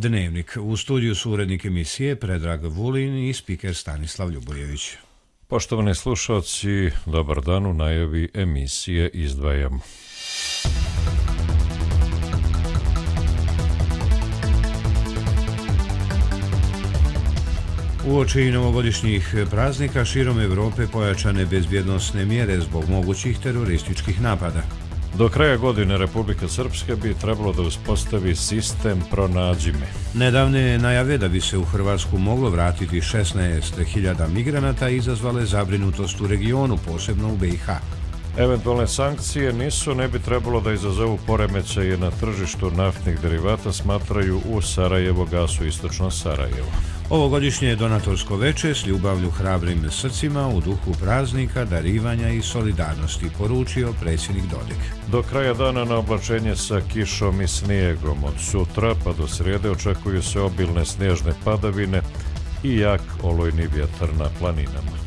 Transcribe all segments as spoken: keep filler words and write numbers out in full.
Dnevnik. U studiju su urednik emisije Predrag Vulin i spiker Stanislav Ljubojević. Poštovani slušalci, dobar dan, u najavi emisije izdvajamo. Uoči novogodišnjih praznika širom Evrope pojačane bezbjednosne mjere zbog mogućih terorističkih napada. Do kraja godine Republika Srpska bi trebalo da uspostavi sistem pronađi me. Nedavne najave da bi se u Hrvatsku moglo vratiti šesnaest hiljada migranata izazvale zabrinutost u regionu, posebno u B i H. Eventualne sankcije nisu, ne bi trebalo da izazovu poremećaje na tržištu naftnih derivata, smatraju u Sarajevo gasu istočno Sarajevo. Ovogodišnje donatorsko veče s ljubavlju hrabrim srcima u duhu praznika, darivanja i solidarnosti, poručio predsjednik Dodik. Do kraja dana na oblačenje sa kišom i snijegom. Od sutra pa do srijede očekuju se obilne snježne padavine i jak olujni vjetar na planinama.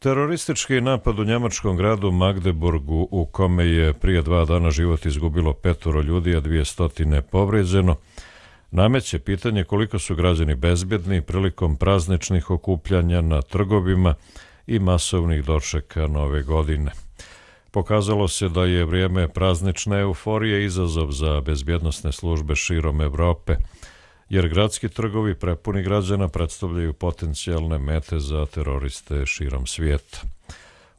Teroristički napad u njemačkom gradu Magdeburgu, u kome je prije dva dana život izgubilo petoro ljudi, a dvije stotine povrijeđeno, nameće pitanje koliko su građani bezbjedni prilikom prazničnih okupljanja na trgovima i masovnih dočeka nove godine. Pokazalo se da je vrijeme praznične euforije izazov za bezbjednosne službe širom Evrope, jer gradski trgovi prepuni građana predstavljaju potencijalne mete za teroriste širom svijeta.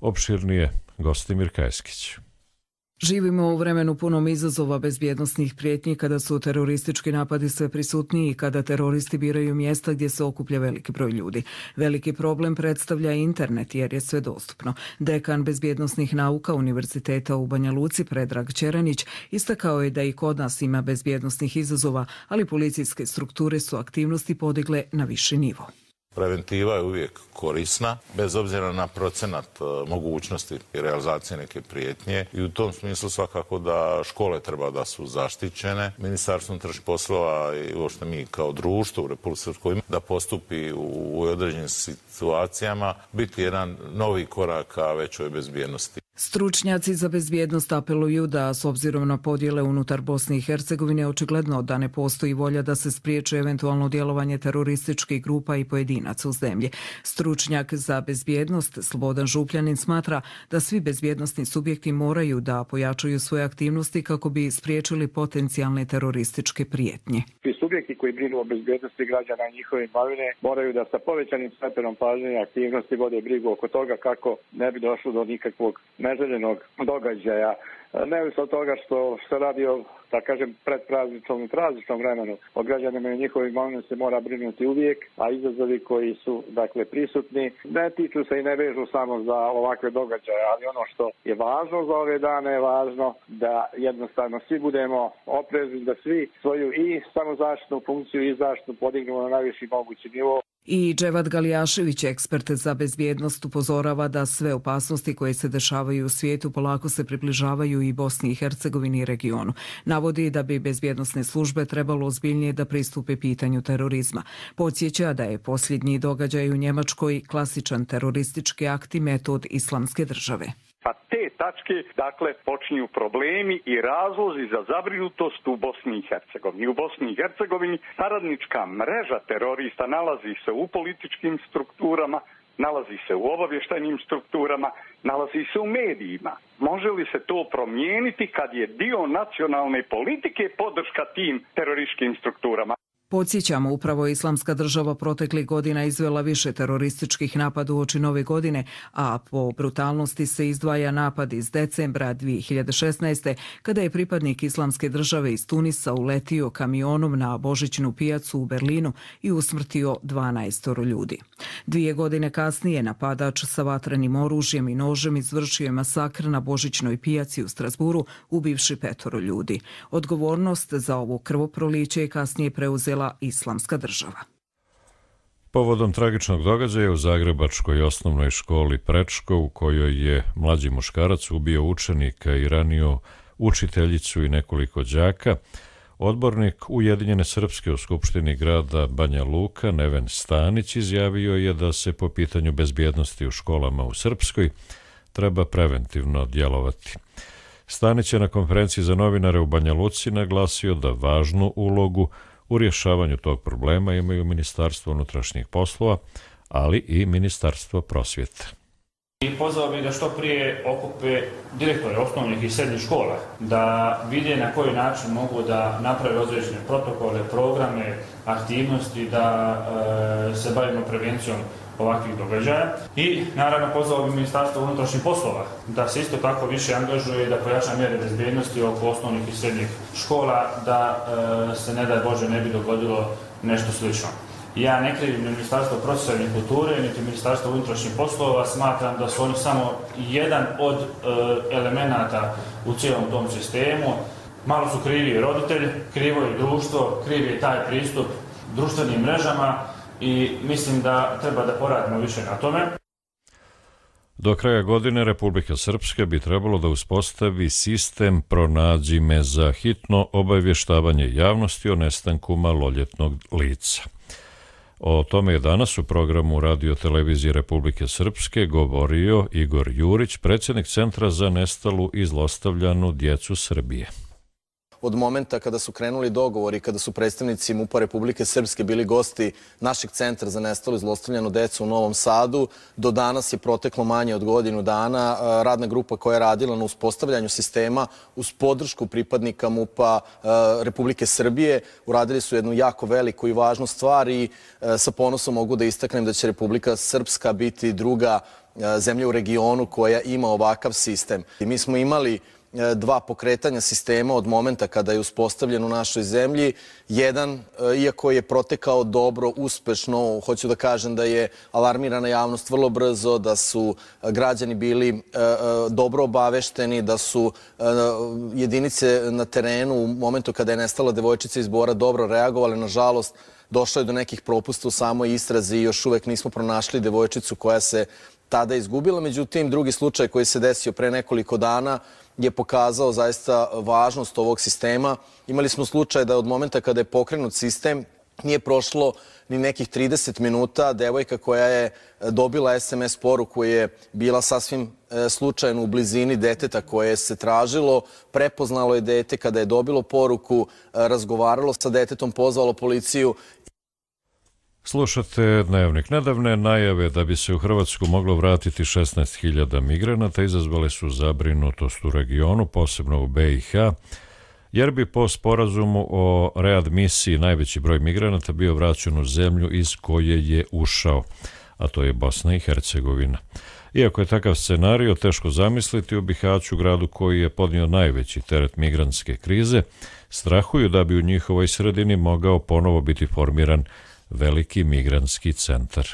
Opširnije Gostimir Kajskić. Živimo u vremenu punom izazova bezbjednosnih prijetnji kada su teroristički napadi sve prisutniji i kada teroristi biraju mjesta gdje se okuplja veliki broj ljudi. Veliki problem predstavlja internet jer je sve dostupno. Dekan bezbjednosnih nauka Univerziteta u Banja Luci Predrag Čeranić istakao je da i kod nas ima bezbjednosnih izazova, ali policijske strukture su aktivnosti podigle na viši nivo. Preventiva je uvijek korisna, bez obzira na procenat mogućnosti i realizacije neke prijetnje, i u tom smislu svakako da škole treba da su zaštićene. Ministarstvo unutrašnjih poslova i uopšte mi kao društvo u Republici Srpskoj da postupi u određenim situacijama, biti jedan novi korak ka većoj bezbjednosti. Stručnjaci za bezbjednost apeluju da, s obzirom na podjele unutar Bosne i Hercegovine, očigledno da ne postoji volja da se spriječi eventualno djelovanje terorističkih grupa i pojedinaca u zemlji. Stručnjak za bezbjednost Slobodan Župljanin smatra da svi bezbjednosni subjekti moraju da pojačaju svoje aktivnosti kako bi spriječili potencijalne terorističke prijetnje. Svi subjekti koji brinu o bezbjednosti građana i njihove imovine moraju da sa povećanim stepenom pažnje i aktivnosti vode brigu oko toga kako ne bi došlo do nikakvog neželjenog događaja. Neovisno od toga što se radi o, da kažem, predprazničnom i prazničnom vremenu, o građanima i njihovim imovine se mora brinuti uvijek, a izazovi koji su, dakle, prisutni ne tiču se i ne vežu samo za ovakve događaje, ali ono što je važno za ove dane je važno da jednostavno svi budemo oprezni, da svi svoju i samozaštitnu funkciju i zaštitu podignemo na najviši mogući nivo. I Dževad Galijašević, ekspert za bezbjednost, upozorava da sve opasnosti koje se dešavaju u svijetu polako se približavaju i Bosni i Hercegovini i regionu. Navodi da bi bezbjednosne službe trebalo ozbiljnije da pristupe pitanju terorizma. Podsjeća da je posljednji događaj u Njemačkoj klasičan teroristički akt i metod Islamske države. Sa te tačke, dakle, počinju problemi i razlozi za zabrinutost u Bosni i Hercegovini. U Bosni i Hercegovini saradnička mreža terorista nalazi se u političkim strukturama, nalazi se u obavještajnim strukturama, nalazi se u medijima. Može li se to promijeniti kad je dio nacionalne politike podrška tim terorističkim strukturama? Podsjećamo, upravo Islamska država proteklih godina izvela više terorističkih napada uoči nove godine, a po brutalnosti se izdvaja napad iz decembra dvije hiljade šesnaeste. kada je pripadnik Islamske države iz Tunisa uletio kamionom na božićnu pijacu u Berlinu i usmrtio dvanaest ljudi. Dvije godine kasnije napadač sa vatrenim oružjem i nožem izvršio je masakr na božićnoj pijaci u Strasburu, ubivši petoro ljudi. Odgovornost za ovo krvoproliće je kasnije preuzela Islamska država. Povodom tragičnog događaja u zagrebačkoj osnovnoj školi Prečko, u kojoj je mlađi muškarac ubio učenika i ranio učiteljicu i nekoliko đaka, odbornik Ujedinjene Srpske u Skupštini grada Banja Luka Neven Stanić izjavio je da se po pitanju bezbjednosti u školama u Srpskoj treba preventivno djelovati. Stanić je na konferenciji za novinare u Banja Luci naglasio da važnu ulogu u rješavanju tog problema imaju Ministarstvo unutrašnjih poslova, ali i Ministarstvo prosvjete. I pozvao bih da što prije okupe direktore osnovnih i srednjih škola, da vide na koji način mogu da naprave određene protokole, programe, aktivnosti, da e, se bavimo prevencijom ovakvih događaja. I naravno pozvao bih Ministarstvo unutrašnjih poslova da se isto tako više angažuje i da pojača mjere bezbednosti oko osnovnih i srednjih škola, da e, se ne daj Bože ne bi dogodilo nešto slično. Ja ne krivim ni Ministarstvo prosvjete i kulture, niti Ministarstvo unutrašnjih poslova, smatram da su oni samo jedan od e, elemenata u cijelom tom sistemu. Malo su krivi roditelji, krivo je društvo, kriv je taj pristup društvenim mrežama i mislim da treba da poradimo više na tome. Do kraja godine Republika Srpska bi trebalo da uspostavi sistem Pronađi me za hitno obavještavanje javnosti o nestanku maloljetnog lica. O tome je danas u programu Radio televizije Republike Srpske govorio Igor Jurić, predsjednik Centra za nestalu i zlostavljanu djecu Srbije. Od momenta kada su krenuli dogovori, kada su predstavnici MUP-a Republike Srpske bili gosti našeg Centra za nestalu i zlostavljanu decu u Novom Sadu, do danas je proteklo manje od godinu dana. Radna grupa koja je radila na uspostavljanju sistema uz podršku pripadnika MUP-a Republike Srbije uradili su jednu jako veliku i važnu stvar i sa ponosom mogu da istaknem da će Republika Srpska biti druga zemlja u regionu koja ima ovakav sistem. I mi smo imali dva pokretanja sistema od momenta kada je uspostavljen u našoj zemlji. Jedan, iako je protekao dobro, uspešno, hoću da kažem da je alarmirana javnost vrlo brzo, da su građani bili dobro obavešteni, da su jedinice na terenu u momentu kada je nestala devojčica iz Bora dobro reagovale. Nažalost, došlo je do nekih propusta u samoj istrazi i još uvek nismo pronašli devojčicu koja se tada izgubila. Međutim, drugi slučaj koji se desio pre nekoliko dana je pokazao zaista važnost ovog sistema. Imali smo slučaj da od momenta kada je pokrenut sistem nije prošlo ni nekih trideset minuta. Devojka koja je dobila es em es poruku je bila sasvim slučajno u blizini deteta koje se tražilo. Prepoznalo je dete kada je dobilo poruku, razgovaralo sa detetom, pozvalo policiju. Slušate Dnevnik. Nedavne najave da bi se u Hrvatsku moglo vratiti šesnaest hiljada migranata izazvale su zabrinutost u regionu, posebno u be i ha, jer bi po sporazumu o readmisiji najveći broj migranata bio vraćen u zemlju iz koje je ušao, a to je Bosna i Hercegovina. Iako je takav scenario teško zamisliti, u Bihaću, gradu koji je podnio najveći teret migrantske krize, strahuju da bi u njihovoj sredini mogao ponovo biti formiran veliki migrantski centar.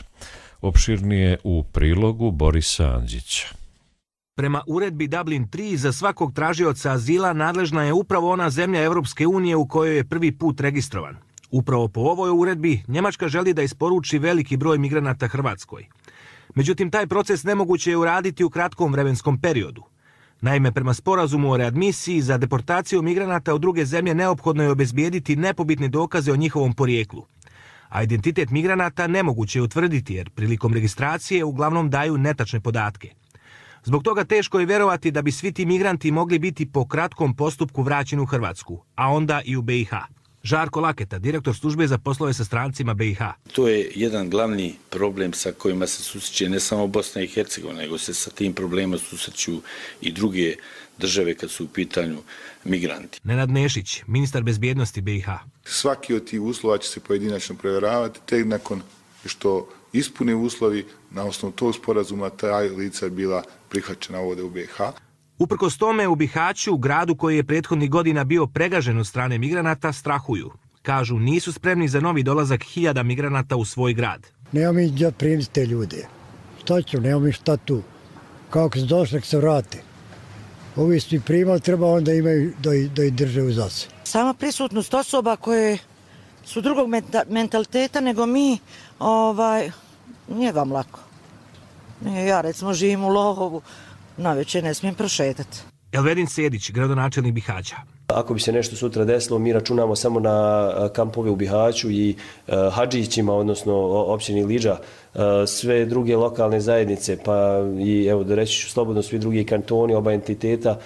Opširnije u prilogu Borisa Andžića. Prema uredbi Dublin tri za svakog tražioca azila nadležna je upravo ona zemlja Evropske unije u kojoj je prvi put registrovan. Upravo po ovoj uredbi Njemačka želi da isporuči veliki broj migranata Hrvatskoj. Međutim, taj proces nemoguće je uraditi u kratkom vremenskom periodu. Naime, prema sporazumu o readmisiji za deportaciju migranata u druge zemlje neophodno je obezbijediti nepobitne dokaze o njihovom porijeklu. A identitet migranata nemoguće je utvrditi jer prilikom registracije uglavnom daju netačne podatke. Zbog toga teško je vjerovati da bi svi ti migranti mogli biti po kratkom postupku vraćeni u Hrvatsku, a onda i u be i ha. Žarko Laketa, direktor službe za poslove sa strancima be i ha. To je jedan glavni problem sa kojima se susreće ne samo Bosna i Hercegovina, nego se sa tim problemima susreću i druge države kad su u pitanju migranti. Nenad Nešić, ministar bezbjednosti be i ha. Svaki od tih uslova će se pojedinačno provjeravati, tek nakon što ispune uslovi, na osnovu tog sporazuma ta lica je bila prihvaćena ovdje u be i ha. Uprkos tome, u Bihaću, gradu koji je prethodnih godina bio pregažen od strane migranata, strahuju. Kažu, nisu spremni za novi dolazak hiljada migranata u svoj grad. Nemo mi gdje primiti te ljude. Šta ću, nemo mi šta tu. Kako se došli, se vrate. Ovi su i primali, treba onda imaju da, da ih drže u zase. Sama prisutnost osoba koje su drugog mentaliteta nego mi, ovaj, nije vam lako. Ja recimo živim u Lohovu, navečer ne smijem prošetati. Elvedin Sedić, gradonačelnik Bihaća. Ako bi se nešto sutra desilo, mi računamo samo na kampove u Bihaću i Hadžićima, odnosno općini Lidža, sve druge lokalne zajednice, pa i evo da reći ću slobodno svi drugi kantoni, oba entiteta,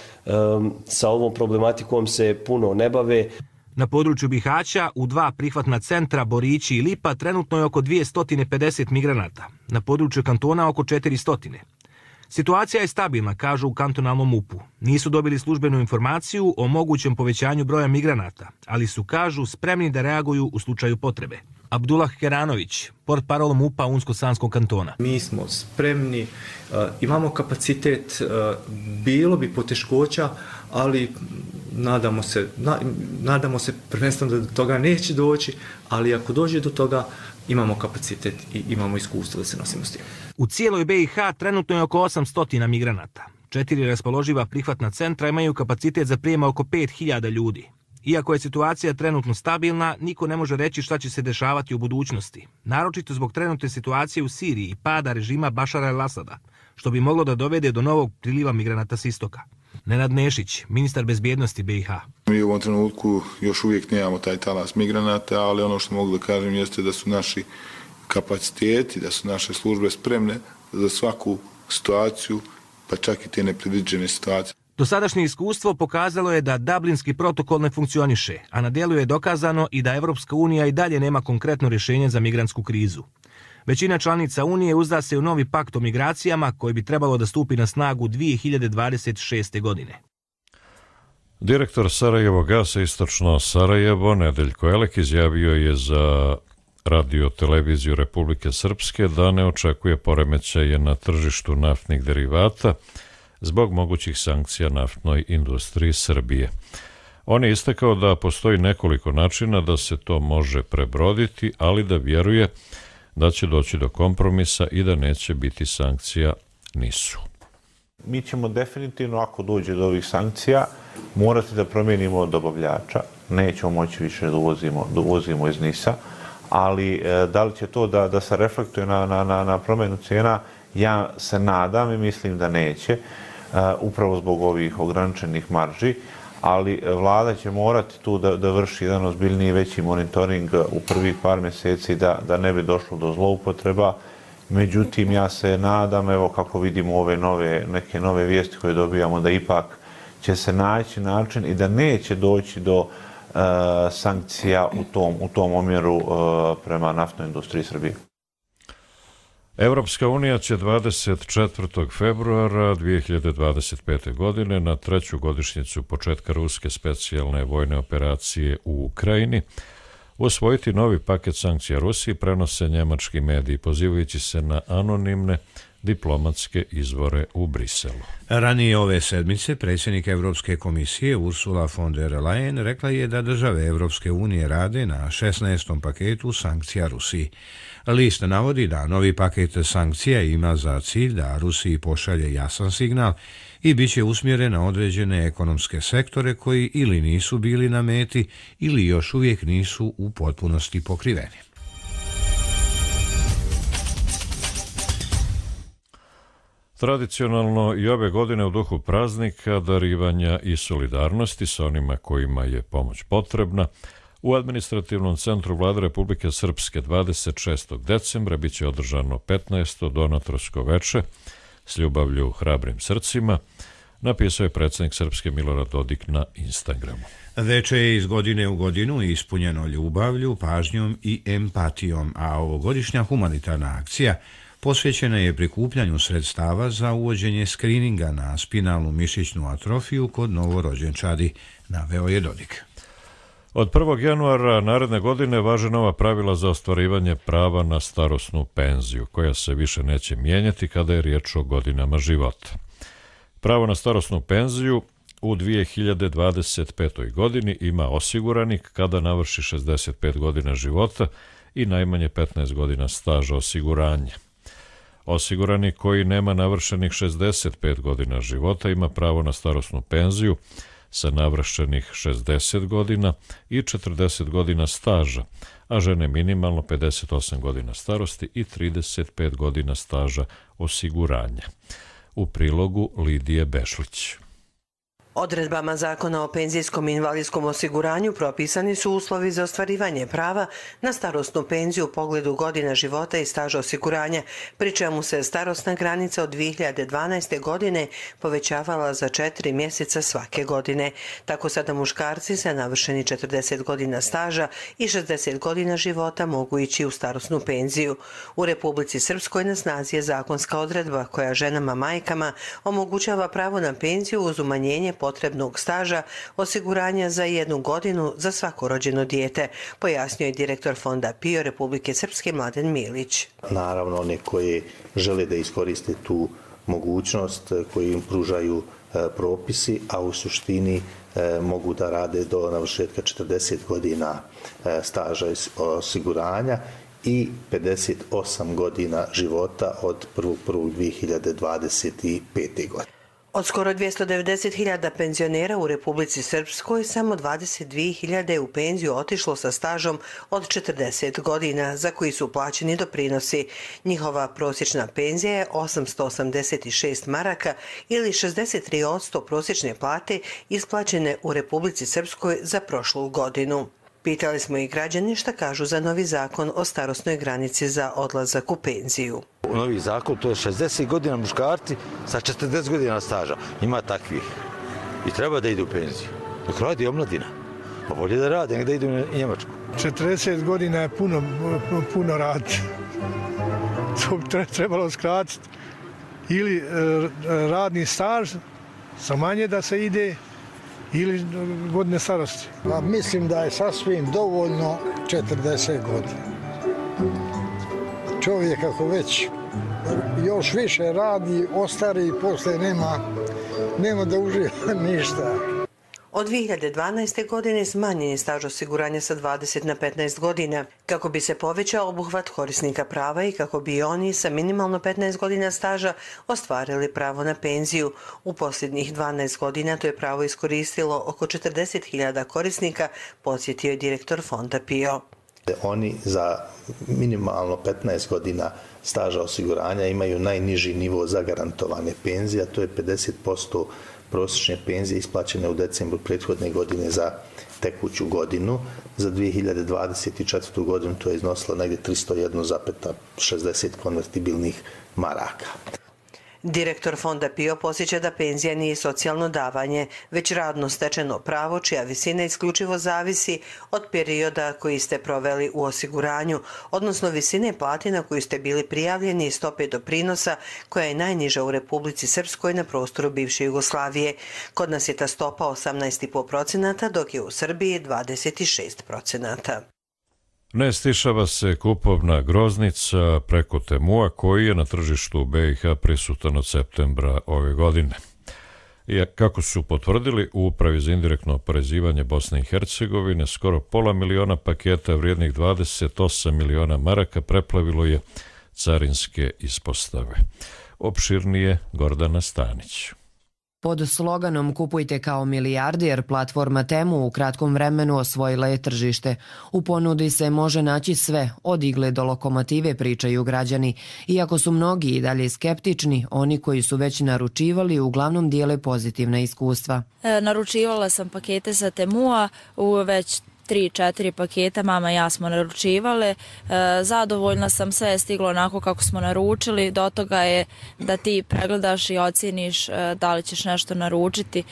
sa ovom problematikom se puno ne bave. Na području Bihaća u dva prihvatna centra, Borići i Lipa, trenutno je oko dvjesto pedeset migranata. Na području kantona oko četiristo. Situacija je stabilna, kažu u kantonalnom M U P-u. Nisu dobili službenu informaciju o mogućem povećanju broja migranata, ali su, kažu, spremni da reaguju u slučaju potrebe. Abdullah Keranović, portparol M U P-a Unsko-Sanskog kantona. Mi smo spremni, imamo kapacitet, bilo bi poteškoća, ali nadamo se, nadamo se prvenstveno da do toga neće doći, ali ako dođe do toga, imamo kapacitet i imamo iskustvo da se nosimo s tim. U cijeloj B i H trenutno je oko osamsto migranata. Četiri raspoloživa prihvatna centra imaju kapacitet za prijema oko pet hiljada ljudi. Iako je situacija trenutno stabilna, niko ne može reći šta će se dešavati u budućnosti. Naročito zbog trenutne situacije u Siriji i pada režima Bašara el-Asada, što bi moglo da dovede do novog priliva migranata s istoka. Nenad Nešić, ministar bezbjednosti B i H. Mi u ovom trenutku još uvijek nemamo taj talas migranata, ali ono što mogu da kažem jeste da su naši kapaciteti, da su naše službe spremne za svaku situaciju, pa čak i te nepredviđene situacije. Dosadašnje iskustvo pokazalo je da Dublinski protokol ne funkcioniše, a na djelu je dokazano i da Evropska unija i dalje nema konkretno rješenje za migrantsku krizu. Većina članica Unije uzda se u novi pakt o migracijama koji bi trebalo da stupi na snagu dvije hiljade dvadeset šeste. godine. Direktor Sarajevo gasa Istočno Sarajevo, Nedeljko Elek, izjavio je za radio televiziju Republike Srpske da ne očekuje poremećaje na tržištu naftnih derivata zbog mogućih sankcija naftnoj industriji Srbije. On je istakao da postoji nekoliko načina da se to može prebroditi, ali da vjeruje da će doći do kompromisa i da neće biti sankcija nisu. Mi ćemo definitivno, ako dođe do ovih sankcija, morati da promijenimo dobavljača. Nećemo moći više da uvozimo, da uvozimo iz Nisa, ali e, da li će to da, da se reflektuje na, na, na, na promjenu cijena, ja se nadam i mislim da neće, e, upravo zbog ovih ograničenih marži, ali vlada će morati tu da, da vrši jedan ozbiljniji veći monitoring u prvih par mjeseci da, da ne bi došlo do zloupotreba. Međutim, ja se nadam, evo kako vidimo ove nove, neke nove vijesti koje dobijamo, da ipak će se naći način i da neće doći do uh, sankcija u tom, u tom omjeru uh, prema naftnoj industriji Srbije. Evropska unija će dvadeset četvrtog februara dvije hiljade dvadeset pete. godine na treću godišnjicu početka ruske specijalne vojne operacije u Ukrajini usvojiti novi paket sankcija Rusiji, prenose njemački mediji, pozivajući se na anonimne diplomatske izvore u Briselu. Ranije ove sedmice predsjednik Evropske komisije Ursula von der Leyen rekla je da države Evropske unije rade na šesnaestom paketu sankcija Rusiji. List navodi da novi paket sankcija ima za cilj da Rusiji pošalje jasan signal i bit će usmjeren na određene ekonomske sektore koji ili nisu bili na meti ili još uvijek nisu u potpunosti pokriveni. Tradicionalno i ove godine u duhu praznika, darivanja i solidarnosti sa onima kojima je pomoć potrebna, u administrativnom centru Vlade Republike Srpske dvadeset šestog decembra bit će održano petnaesto donatorsko veče s ljubavlju hrabrim srcima, napisao je predsjednik Srpske Milorad Dodik na Instagramu. Veče je iz godine u godinu ispunjeno ljubavlju, pažnjom i empatijom, a ovogodišnja humanitarna akcija posvećena je prikupljanju sredstava za uvođenje skrininga na spinalnu mišićnu atrofiju kod novorođenčadi, naveo je Dodik. Od prvog januara naredne godine važe nova pravila za ostvarivanje prava na starosnu penziju, koja se više neće mijenjati kada je riječ o godinama života. Pravo na starosnu penziju u dvije hiljade dvadeset petoj. godini ima osiguranik kada navrši šezdeset pet godina života i najmanje petnaest godina staža osiguranja. Osiguranik koji nema navršenih šezdeset pet godina života ima pravo na starosnu penziju sa navršenih šezdeset godina i četrdeset godina staža, a žene minimalno pedeset osam godina starosti i trideset pet godina staža osiguranja. U prilogu Lidije Bešlić. Odredbama Zakona o penzijskom i invalidskom osiguranju propisani su uslovi za ostvarivanje prava na starosnu penziju u pogledu godina života i staža osiguranja, pri čemu se starosna granica od dvije hiljade dvanaeste. godine povećavala za četiri mjeseca svake godine. Tako sada muškarci sa navršeni četrdeset godina staža i šezdeset godina života mogu ići u starosnu penziju. U Republici Srpskoj na snazi je zakonska odredba koja ženama majkama omogućava pravo na penziju uz umanjenje potrebnog staža osiguranja za jednu godinu za svako rođeno dijete, pojasnio je direktor Fonda PIO Republike Srpske Mladen Milić. Naravno, one koje žele da iskoriste tu mogućnost koji im pružaju propisi, a u suštini mogu da rade do navršetka četrdeset godina staža osiguranja i pedeset osam godina života od prvog prvog dvije hiljade dvadeset pete. godine. Od skoro dvjesto devedeset hiljada penzionera u Republici Srpskoj samo dvadeset dvije hiljade je u penziju otišlo sa stažom od četrdeset godina za koji su plaćeni doprinosi. Njihova prosječna penzija je osamsto osamdeset šest maraka ili šezdeset tri posto prosječne plate isplaćene u Republici Srpskoj za prošlu godinu. Pitali smo i građani šta kažu za novi zakon o starosnoj granici za odlazak u penziju. Novi zakon, to je šezdeset godina muškarci sa četrdeset godina staža. Ima takvih. I treba da idu u penziju. Dok radi omladina. Pa bolje da rade, nek da idu u Njemačku. četrdeset godina je puno, puno rad. To bi trebalo skratiti. Ili radni staž, sa manje da se ide, ili godine starosti. Pa mislim da je sasvim dovoljno četrdeset godina. Čovjek ako već još više radi, ostari i posle nema, nema da uživa ništa. Od dvije hiljade dvanaeste. godine smanjen je staž osiguranja sa dvadeset na petnaest godina, kako bi se povećao obuhvat korisnika prava i kako bi oni sa minimalno petnaest godina staža ostvarili pravo na penziju. U posljednjih dvanaest godina to je pravo iskoristilo oko četrdeset hiljada korisnika, podsjetio je direktor Fonda PIO. Oni za minimalno petnaest godina staža osiguranja imaju najniži nivo zagarantovane penzije, a to je pedeset posto prosječne penzije isplaćene u decembru prethodne godine za tekuću godinu. Za dvije hiljade dvadeset četvrtu. godinu to je iznosilo negdje tristo jedan zarez šezdeset konvertibilnih maraka. Direktor Fonda PIO posjeća da penzija nije socijalno davanje, već radno stečeno pravo čija visina isključivo zavisi od perioda koji ste proveli u osiguranju, odnosno visine plate na koju ste bili prijavljeni i stope doprinosa koja je najniža u Republici Srpskoj na prostoru bivše Jugoslavije. Kod nas je ta stopa osamnaest zarez pet posto, dok je u Srbiji dvadeset šest posto. Ne stišava se kupovna groznica preko Temua koji je na tržištu be i ha prisutan od septembra ove godine. I kako su potvrdili u Upravi za indirektno oporezivanje Bosne i Hercegovine, skoro pola miliona paketa vrijednih dvadeset osam miliona maraka preplavilo je carinske ispostave. Opširnije Gordana Stanić. Pod sloganom Kupujte kao milijarder, platforma Temu u kratkom vremenu osvojila je tržište. U ponudi se može naći sve, od igle do lokomotive, pričaju građani. Iako su mnogi i dalje skeptični, oni koji su već naručivali uglavnom dijele pozitivna iskustva. E, naručivala sam pakete sa Temua u već tri četiri paketa, mama i ja smo naručivale. E, zadovoljna sam, sve je stiglo onako kako smo naručili. Do toga je da ti pregledaš i ocjeniš e, da li ćeš nešto naručiti.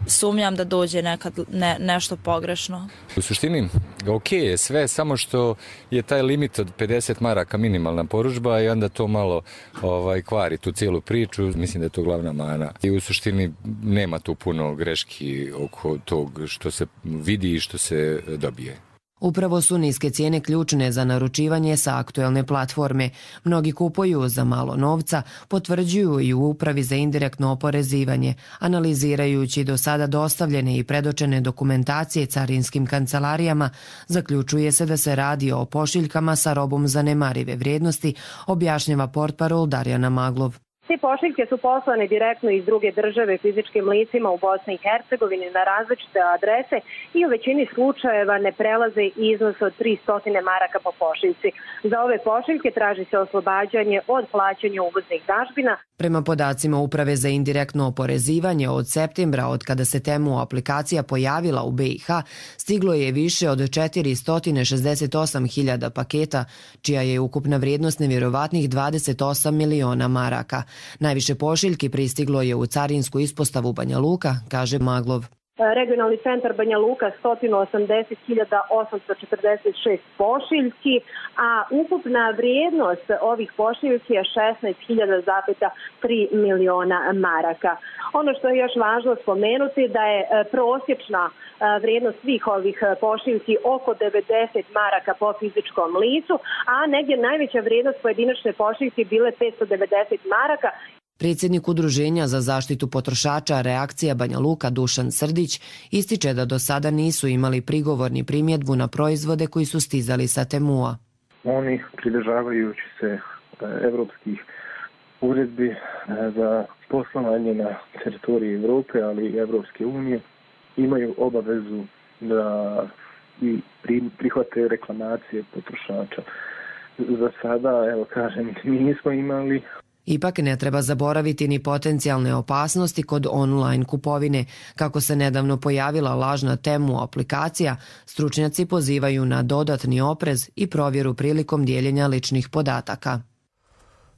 Sumnjam da dođe nekad ne, nešto pogrešno. U suštini, ok je sve, samo što je taj limit od pedeset maraka minimalna poručba i onda to malo ovaj, kvari tu cijelu priču. Mislim da je to glavna mana. I u suštini nema tu puno greški oko tog što se vidi i što se dobije. Upravo su niske cijene ključne za naručivanje sa aktuelne platforme. Mnogi kupuju za malo novca, potvrđuju i u Upravi za indirektno oporezivanje. Analizirajući do sada dostavljene i predočene dokumentacije carinskim kancelarijama, zaključuje se da se radi o pošiljkama sa robom zanemarive vrijednosti, objašnjava portparol Darjana Maglov. Te pošiljke su poslane direktno iz druge države fizičkim licima u Bosni i Hercegovini na različite adrese i u većini slučajeva ne prelaze iznos od tristo maraka po pošiljci. Za ove pošiljke traži se oslobađanje od plaćanja uvoznih dažbina. Prema podacima Uprave za indirektno oporezivanje, od septembra, od kada se Temu aplikacija pojavila u B i H, stiglo je više od četiristo šezdeset osam hiljada paketa, čija je ukupna vrijednost nevjerovatnih dvadeset osam miliona maraka. Najviše pošiljki pristiglo je u carinsku ispostavu Banja Luka, kaže Maglov. Regionalni centar Banja Luka sto osamdeset hiljada osamsto četrdeset šest pošiljki, a ukupna vrijednost ovih pošiljki je šesnaest hiljada tri miliona maraka. Ono što je još važno spomenuti da je prosječna vrijednost svih ovih pošiljki oko devedeset maraka po fizičkom licu, a negdje najveća vrijednost pojedinačne pošiljke bile petsto devedeset maraka. Predsjednik Udruženja za zaštitu potrošača Reakcija Banja Luka Dušan Srdić ističe da do sada nisu imali prigovor ni primjedbu na proizvode koji su stizali sa Temua. Oni, pridržavajući se evropskih uredbi za poslovanje na teritoriji Evrope, ali i Evropske unije, imaju obavezu da i prihvate reklamacije potrošača. Za sada, evo kažem, mi nismo imali. Ipak ne treba zaboraviti ni potencijalne opasnosti kod online kupovine. Kako se nedavno pojavila lažna Temu aplikacija, stručnjaci pozivaju na dodatni oprez i provjeru prilikom dijeljenja ličnih podataka.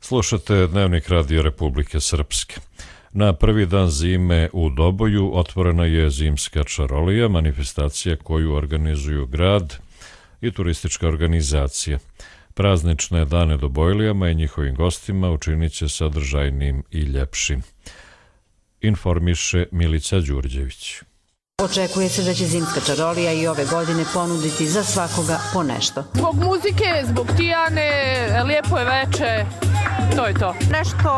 Slušate Dnevnik Radio Republike Srpske. Na prvi dan zime u Doboju otvorena je zimska čarolija, manifestacija koju organizuju grad i turistička organizacija. Praznične dane Dobojlijama i njihovim gostima učinit će sadržajnim i ljepšim. Informiše Milica Đurđević. Očekuje se da će zimska čarolija i ove godine ponuditi za svakoga po nešto. Zbog muzike, zbog Tijane, lijepo je veče, to je to. Nešto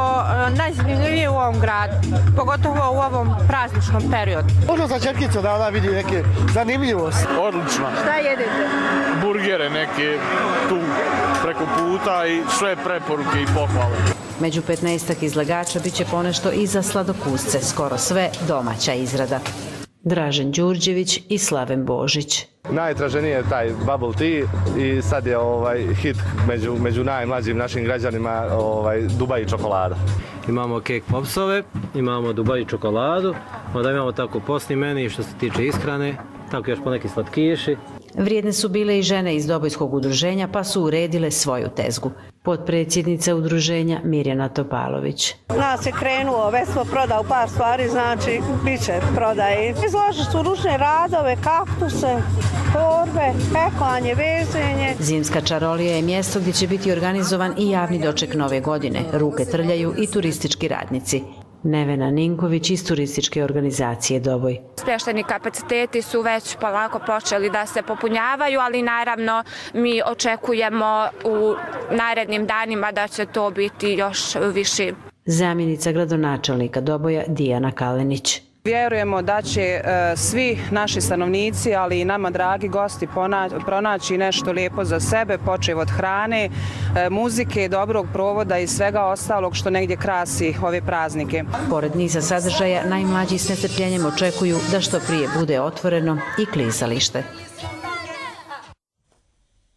najzanimljivije u ovom gradu, pogotovo u ovom prazničnom periodu. Možda sa čerkicom da ona vidi neke zanimljivosti. Odlično. Šta jedete? Burgere neke tu preko puta i sve preporuke i pohvale. Među petnaestak izlagača bit će ponešto i za sladokusce, skoro sve domaća izrada. Dražen Đurđević i Slaven Božić. Najtraženiji je taj bubble tea i sad je ovaj hit među, među najmlađim našim građanima ovaj, Dubai čokolada. Imamo cake popsove, imamo Dubai čokoladu, onda imamo tako postni meni što se tiče ishrane, tako još poneki slatkiši. Vrijedne su bile i žene iz Dobojskog udruženja pa su uredile svoju tezgu. Potpredsjednica udruženja Mirjana Topalović. Nas je krenuo, već smo prodao par stvari, znači bit će prodaje. Izložili su ručne radove, kaktuse, torbe, peklanje, vezenje. Zimska čarolija je mjesto gdje će biti organizovan i javni doček nove godine. Ruke trljaju i turistički radnici. Nevena Ninković iz turističke organizacije Doboj. Smještajni kapaciteti su već polako počeli da se popunjavaju, ali naravno mi očekujemo u narednim danima da će to biti još viši. Zamjenica gradonačelnika Doboja Dijana Kalenić. Vjerujemo da će svi naši stanovnici, ali i nama dragi gosti pronaći nešto lijepo za sebe, počev od hrane, muzike, dobrog provoda i svega ostalog što negdje krasi ove praznike. Pored niza sadržaja, najmlađi s nestrpljenjem očekuju da što prije bude otvoreno i klizalište.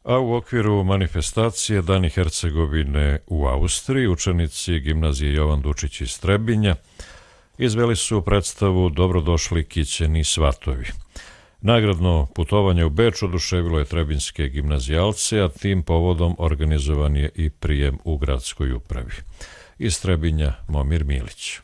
A u okviru manifestacije Dani Hercegovine u Austriji, učenici gimnazije Jovan Dučić iz Trebinja izveli su predstavu Dobrodošli kićeni svatovi. Nagradno putovanje u Beč oduševilo je trebinjske gimnazijalce, a tim povodom organizovan je i prijem u gradskoj upravi. Iz Trebinja Momir Milić.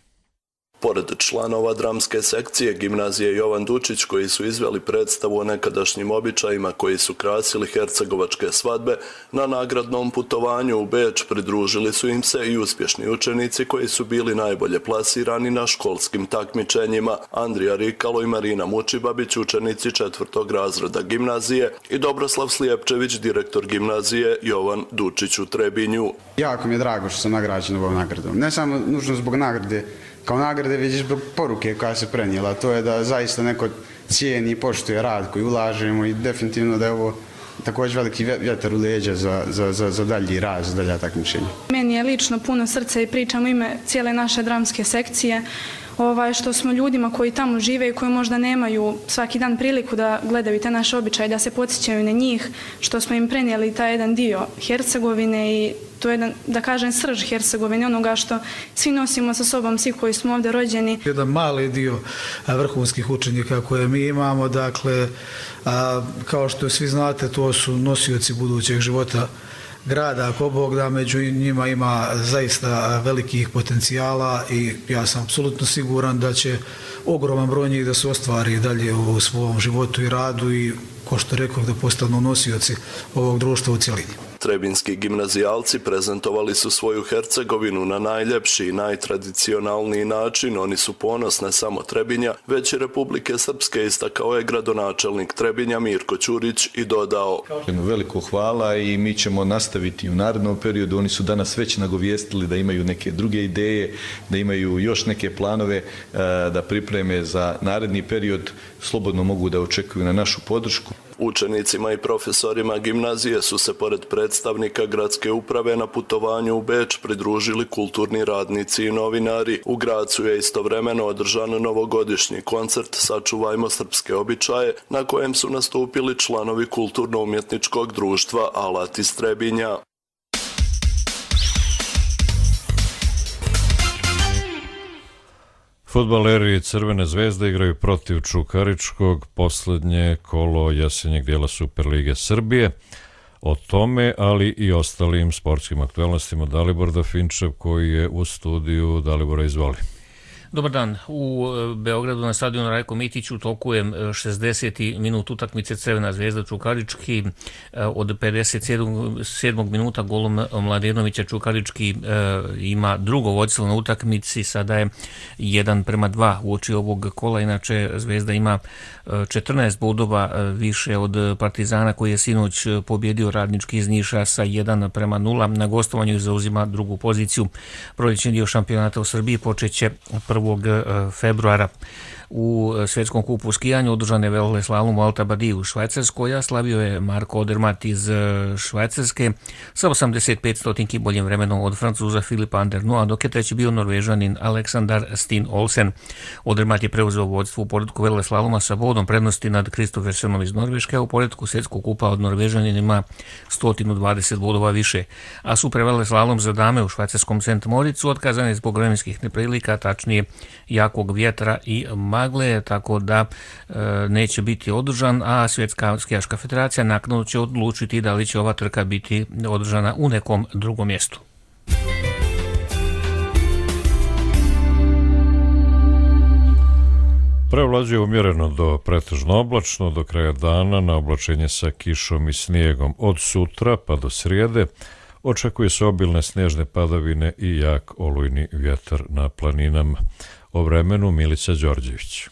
Pored članova dramske sekcije gimnazije Jovan Dučić koji su izveli predstavu o nekadašnjim običajima koji su krasili hercegovačke svadbe, na nagradnom putovanju u Beč pridružili su im se i uspješni učenici koji su bili najbolje plasirani na školskim takmičenjima. Andrija Rikalo i Marina Mučibabić, učenici četvrtog razreda gimnazije, i Dobroslav Slijepčević, direktor gimnazije Jovan Dučić u Trebinju. Jako mi je drago što sam nagrađen ovom nagradom. Ne samo nužno zbog nagrade, kao nagrade vidiš zbog poruke koja se prenijela, to je da zaista neko cijeni i poštuje rad koji ulažemo i definitivno da je ovo također veliki vjetar u leđa za, za, za, za dalji raz, dalja takmičenja. Meni je lično puno srca i pričam u ime cijele naše dramske sekcije, ovaj, što smo ljudima koji tamo žive i koji možda nemaju svaki dan priliku da gledaju te naše običaje, da se podsjećaju na njih, što smo im prenijeli taj jedan dio Hercegovine i to je jedan, da kažem, srž Hercegovine, onoga što svi nosimo sa sobom, svi koji smo ovdje rođeni. Jedan mali dio vrhunskih učenika koje mi imamo, dakle, a, kao što svi znate, to su nosioci budućeg života grada, ako Bog da, među njima ima zaista velikih potencijala i ja sam apsolutno siguran da će ogroman broj njih da se ostvari dalje u svom životu i radu i, ko što rekao, da postanu nosioci ovog društva u cjelini. Trebinski gimnazijalci prezentovali su svoju Hercegovinu na najljepši i najtradicionalniji način. Oni su ponos ne samo Trebinja, već i Republike Srpske, istakao je gradonačelnik Trebinja Mirko Ćurić i dodao: Veliko hvala i mi ćemo nastaviti u narednom periodu. Oni su danas već nagovijestili da imaju neke druge ideje, da imaju još neke planove da pripreme za naredni period. Slobodno mogu da očekuju na našu podršku. Učenicima i profesorima gimnazije su se pored predstavnika gradske uprave na putovanju u Beč pridružili kulturni radnici i novinari. U Gracu je istovremeno održan novogodišnji koncert Sačuvajmo srpske običaje, na kojem su nastupili članovi kulturno-umjetničkog društva Alat iz Trebinja. Fudbaleri Crvene zvezde igraju protiv Čukaričkog, posljednje kolo jesenjeg dijela Superlige Srbije. O tome, ali i ostalim sportskim aktualnostima, Dalibor Dafinčev koji je u studiju. Dalibora, izvoli. Dobar dan. U Beogradu na stadionu Rajko Mitić u toku je šezdeseti minut utakmice Crvena zvezda Čukarički. Od pedeset sedmog minuta golom Mladenovića Čukarički ima drugo vođstvo na utakmici, sada je jedan prema dva uoči ovog kola. Inače Zvezda ima četrnaest bodova više od Partizana koji je sinoć pobjedio Radnički iz Niša sa jedan prema nula. Na gostovanju zauzima drugu poziciju. Proljećni dio šampionata u Srbiji počeće prvog februara. U svjetskom kupu u skijanju održan je veleslalom u Alta Badiji u Švajcarskoj, a slavio je Marko Odermatt iz Švajcarske sa osamdeset pet stotinki boljim vremenom od Francuza Filipa Andernoa, dok je treći bio Norvežanin Aleksandar Stin Olsen. Odermatt je preuzeo vodstvo u poredku veleslaloma sa bodom prednosti nad Kristoffersenom iz Norveške, a u poredku svjetskog kupa od Norvežanin ima sto dvadeset bodova više. A super veleslalom za dame u švajcarskom Sent Moricu otkazan je zbog vremenskih neprilika, tačnije jakog vjetra i magle, tako da e, neće biti održan, a Svjetska skijaška federacija naknadno će odlučiti da li će ova trka biti održana u nekom drugom mjestu. Prevlađuje umjereno do pretežno oblačno, do kraja dana na oblačenje sa kišom i snijegom. Od sutra pa do srijede očekuje se obilne snježne padavine i jak olujni vjetar na planinama. O vremenu Milica Đorđević.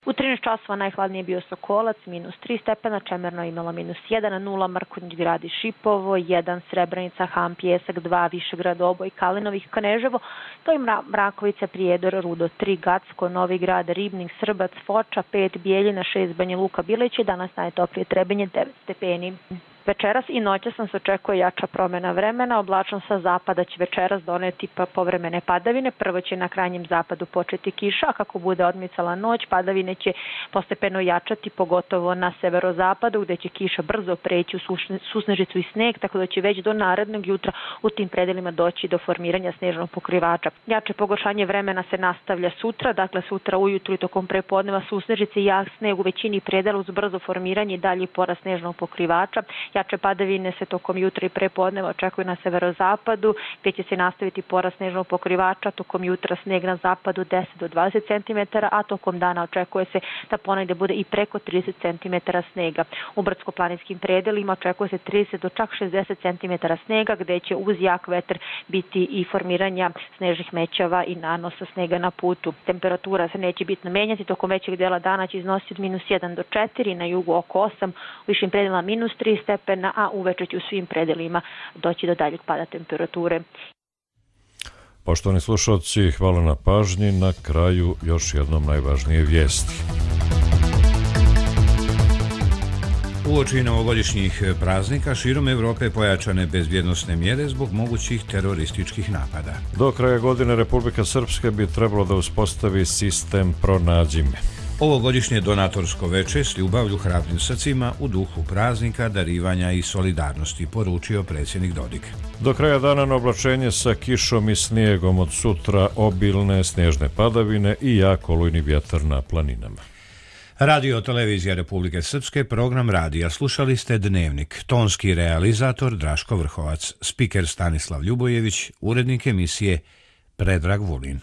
U trinaest časova najhladnije bio Sokolac, minus tri stepena, Čemerno imala minus jedan, nula Mrkonjić grad i Šipovo, jedan Srebrenica, Ham, Pjesak, dva Višegrad, Oboj, Kalinovih, Kneževo, to je Mrakovica, Prijedor, Rudo, tri Gacko, Novi Grad, Ribnik, Srbac, Foča, pet Bijeljina, šest Banja Luka, Bileć, danas najtoplije Trebinje, devet stepeni. Večeras i noćas nam se očekuje jača promjena vremena, oblačno sa zapada će večeras doneti pa povremene padavine. Prvo će na krajnjem zapadu početi kiša, a kako bude odmicala noć, padavine će postepeno jačati, pogotovo na severozapadu, gdje će kiša brzo preći u susnežicu i sneg, tako da će već do narednog jutra u tim predelima doći do formiranja snežnog pokrivača. Jače pogoršanje vremena se nastavlja sutra, dakle sutra ujutru i tokom prepodneva susnežice i jak sneg u većini predela uz brzo formiranje i dalji porast snežnog pokrivača. Jače padavine se tokom jutra i prepodneva očekuju na severozapadu, gdje će se nastaviti porast snežnog pokrivača, tokom jutra sneg na zapadu deset do dvadeset centimetara, a tokom dana očekuje se da ponegdje bude i preko trideset centimetara snega. U brdsko-planinskim predelima očekuje se trideset do čak šezdeset centimetara snega, gdje će uz jak vetar biti i formiranja snežnih mećava i nanosa snega na putu. Temperatura se neće bitno menjati, tokom većeg dela dana će iznositi od minus jedan do četiri, na jugu oko osam, u višim predelima minus tri stepena, a uveče će u svim predelima doći do daljeg pada temperature. Poštovani slušalci, hvala na pažnji. Na kraju još jednom najvažnije vijesti. Uoči novogodišnjih praznika širom Evrope pojačane bezbjednosne mjere zbog mogućih terorističkih napada. Do kraja godine Republika Srpska bi trebalo da uspostavi sistem Pronađi me. Ovogodišnje donatorsko veče s ljubavlju hrabrim srcima u duhu praznika, darivanja i solidarnosti, poručio predsjednik Dodik. Do kraja dana na oblačenje sa kišom i snijegom, od sutra obilne snježne padavine i jak olujni vjetar na planinama. Radio Televizija Republike Srpske, program radija. Slušali ste Dnevnik. Tonski realizator Draško Vrhovac, spiker Stanislav Ljubojević, urednik emisije Predrag Vulin.